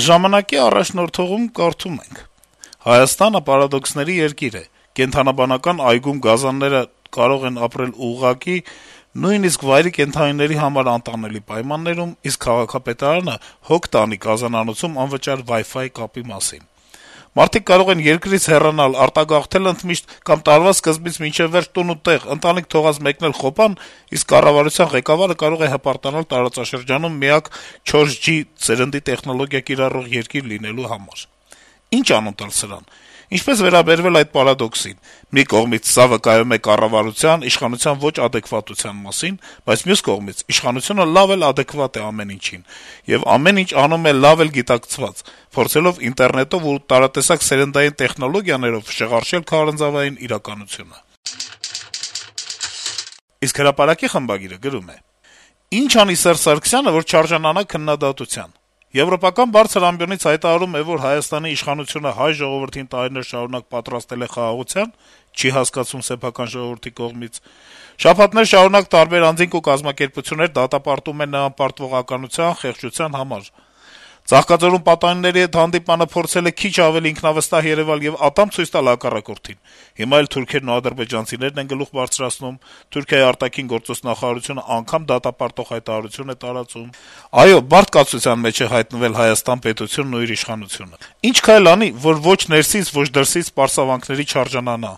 Ժամանակի առաջնորդողում կարդում ենք. - «Հայաստանը պարադոքսների երկիր է: Կենդանաբանական այգում գազանները կարող են ապրել ուղղակի, նույնիսկ վայրի կենդանիների համար անտանելի պայմաններում, իսկ քաղաքապետարանը հոգ տանի գազանանոցում անվճար Wi-Fi կապի մասին: Մարդիկ կարող են երկրից հեռանալ, արտագաղթել ընդմիշտ կամ տարվա սկզբից մինչեւ վերջ տուն ու տեղ, ընտանիք թողած մեկնել խոպան, իսկ կառավարության ղեկավարը կարող է հպարտանալ տարածաշրջանում միակ 4G սերնդի տեխնոլոգիա կիրառող երկիր լինելու համար: Ինչ անուն տալ սրան: Ինչպես վերաբերվել այդ պարադոքսին: Մի կողմից սա վկայում է կառավարության, իշխանության ոչ ադեկվատության մասին, բայց մյուս կողմից իշխանությունը լավ էլ ադեկվատ է ամեն ինչին, եւ ամեն ինչ անում է լավ էլ գիտակցված, փորձելով ինտերնետով ու տարատեսակ սերնդային տեխնոլոգիաներով շղարշել քարանձավային իրականությունը»: Իսկ «Հրապարակ»-ի խմբագիրը գրում է. - «Ինչ անի Սերժ Սարգսյանը, որ չարժանանա քննադատության: Եվրոպական բարձր ամբիոնից հայտարարում է, որ Հայաստանի իշխանությունը հայ ժողովրդին տարիներ շարունակ պատրաստել է խաղաղության, չի հասկացվում սեփական ժողովրդի կողմից: Շաբաթներ շարունակ տարբեր անձինք ու կազմակերպություններ դատապարտում են նրան պարտվողականության, խեղճության համար: Ծաղկաձորում պատանիների հետ հանդիպմանը փորձել է քիչ ավելի ինքնավստահ երեւալ եւ ատամ ցույց տալ հակառակորդին: Հիմա էլ թուրքերն ու ադրբեջանցիներն են գլուխ բարձրացնում, Թուրքիայի ԱԳ նախարարությունը անգամ դատապարտող հայտարարություն է տարածում: Այո, բարդ կացության մեջ է հայտնվել Հայաստան պետությունն ու իր իշխանությունը: Ինչ քայլ անի, որ ոչ ներսից, ոչ դրսից պարսավանքների չարժանանա»: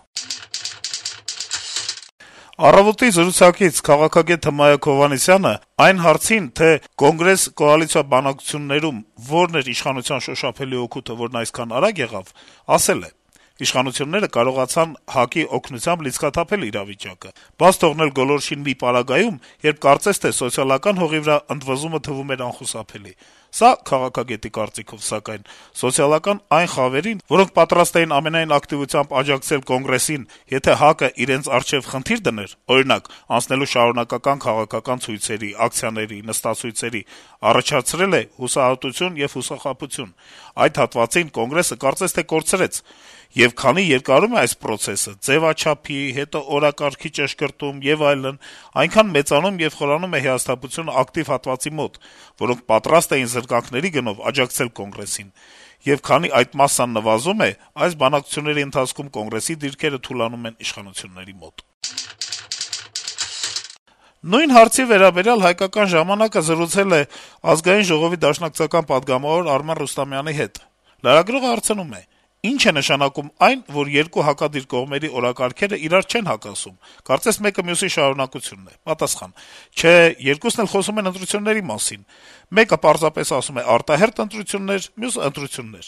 «Առավոտ»-ի զրուցակից քաղաքագետ Հմայակ Հովհաննիսյանը այն հարցին, թե Կոնգրես-կոալիցիա բանակցություններում որն էր իշխանության շոշափելի օգուտը, որն այսքան արագ եղավ, ասել է. - «Իշխանությունները կարողացան ՀԱԿ-ի օգնությամբ լիցքաթափել իրավիճակը, բաց թողնել գոլորշին մի պարագայում, երբ կարծես թե սոցիալական հողի վրա ընդվզումը թվում էր անխուսափելի: Սա, քաղաքագետի կարծիքով, սակայն, սոցիալական այն խավերին, որոնք պատրաստ էին ամենայն ակտիվությամբ աջակցել Կոնգրեսին, եթե ՀԱԿ-ը իրենց առջեւ խնդիր դներ, օրինակ, անցնելու շարունակական քաղաքական ցույցերի, ակցիաների, նստացույցերի, առաջացրել է հուսահատություն եւ հուսախաբություն: Այդ հատվածին Կոնգրեսը կարծես թե կորցրեց: Եվ քանի երկարում է այս պրոցեսը, ձեւաչափի, հետո օրակարգի ճշգրտում եւ այլն, այնքան մեծանում եւ խորանում է հիասթափությունը ակտիվ հատվածի մոտ, որոնք պատրաստ էին զրկանքների գնով աջակցել Կոնգրեսին: Եվ քանի այդ մասսան նվազում է, այս բանակցությունների ընթացքում Կոնգրեսի դիրքերը թուլանում են իշխանությունների մոտ»: Նույն հարցի վերաբերյալ «Հայկական ժամանակ»-ը զրուցել է Ազգային ժողովի դաշնակցական պատգամավոր Արմեն Ռուստամյանի հետ: Լրագրողը հարցնում է. - «Ի՞նչ է նշանակում այն, որ երկու հակադիր կողմերի օրակարգերը իրար չեն հակասում: Կարծես մեկը մյուսի շարունակությունն է»: Պատասխան. - «Չէ, երկուսն էլ խոսում են ընտրությունների մասին: Մեկը պարզապես ասում է արտահերթ ընտրություններ, մյուսը` ընտրություններ: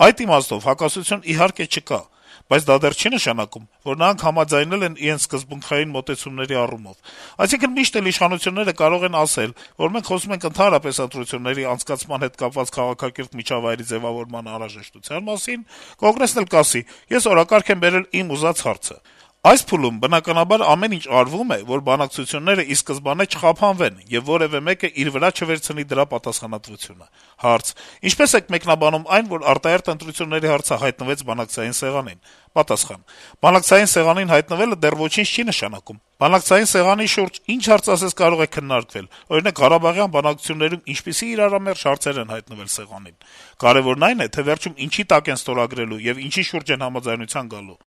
Այդ իմաստով հակասություն իհարկե չկա: Բայց դա դեռ չի նշանակում, որ նրանք համաձայնել են իրենց սկզբունքային մոտեցումների առումով: Այսինքն` միշտ էլ իշխանությունները կարող են ասել, որ մենք խոսում ենք ընդհանրապես ընտրությունների անցկացման հետ կապված քաղաքակիրթ միջավայրի ձեւավորման անհրաժեշտության մասին, Կոնգրեսն էլ կասի` ես օրակարգ եմ բերել իմ ուզած հարցը: Այս փուլում, բնականաբար, ամեն ինչ արվում է, որ բանակցությունները ի սկզբանե չխափանվեն, եւ որեւէ մեկը իր վրա չվերցնի դրա պատասխանատվությունը»: Հարց. - «Ինչպե՞ս եք մեկնաբանում այն, որ արտահերթ ընտրությունների հարցը հայտնվեց բանակցային սեղանին»: Պատասխան. - «Բանակցային սեղանին հայտնվելը դեռ ոչինչ չի նշանակում: Բանակցային սեղանի շուրջ ինչ հարց ասես կարող է քննարկվել: Օրինակ, ղարաբաղյան բանակցություններում ինչպիսի իրարամերժ հարցեր են հայտնվել սեղանին: Կարեւորն այն է, թե վերջում ինչի տակ են ստորագրելու եւ ինչի շուրջ են համաձայնության գալու»: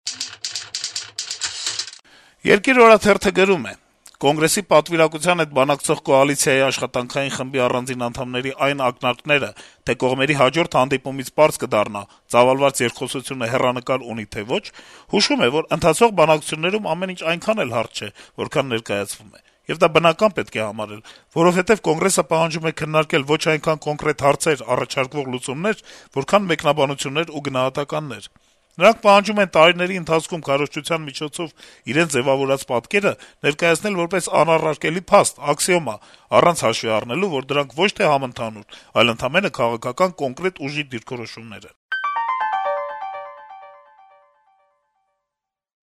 «Երկիր» օրաթերթը գրում է. - «Կոնգրեսի պատվիրակության հետ բանակցող կոալիցիայի աշխատանքային խմբի առանձին անդամների այն ակնարկները, թե կողմերի հաջորդ հանդիպումից պարզ կդառնա` ծավալված երկխոսությունը հեռանկար ունի թե ոչ, հուշում է, որ ընթացող բանակցություններում ամեն ինչ այնքան էլ հարթ չէ, որքան ներկայացվում է: Եվ դա բնական պետք է համարել, որովհետեւ Կոնգրեսը պահանջում է քննարկել ոչ այնքան կոնկրետ հարցեր, առաջարկվող լուծումներ, որքան մեկնաբանություններ ու գնահատականներ: Նրանք պահանջում են տարիների ընթացքում քարոզչության միջոցով իրենց ձեւավորած պատկերը ներկայացնել որպես անառարկելի փաստ, աքսիոմա, առանց հաշվի առնելու, որ դրանք ոչ թե համընդհանուր, այլ ընդամենը քաղաքական կոնկրետ ուժի դիրքորոշումներ են»: